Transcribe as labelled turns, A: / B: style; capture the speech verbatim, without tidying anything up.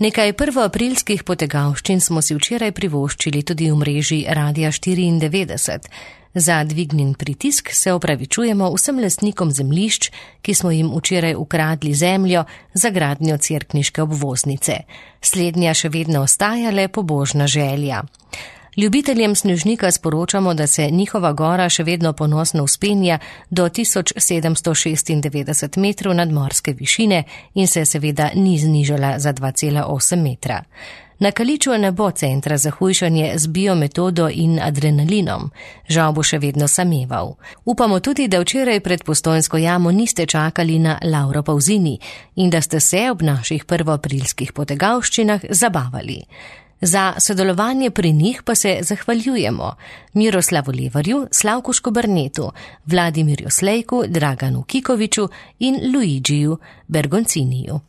A: Nekaj prvoaprilskih potegavščin smo si včeraj privoščili tudi v mreži Radia štiriindevetdeset. Za dvignjen pritisk se opravičujemo vsem lastnikom zemljišč, ki smo jim včeraj ukradli zemljo za gradnjo cerkniške obvoznice. Slednja še vedno ostaja le pobožna želja. Ljubiteljem snežnika sporočamo, da se njihova gora še vedno ponosno vzpenja do tisoč sedemsto šestindevetdeset metrov nadmorske višine in se seveda ni znižala za dva cela osem metra. Na Kaliču ne bo centra za hujšanje z biometodo in adrenalinom. Žal bo še vedno sameval. Upamo tudi, da včeraj pred Postojnsko jamo niste čakali na Lauro Pauzini in da ste se ob naših prvoaprilskih potegavščinah zabavali. Za sodelovanje pri njih pa se zahvaljujemo Miroslavu Levarju, Slavku Škobernetu, Vladimirju Slejku, Draganu Kikoviču in Luigiju Bergonciniju.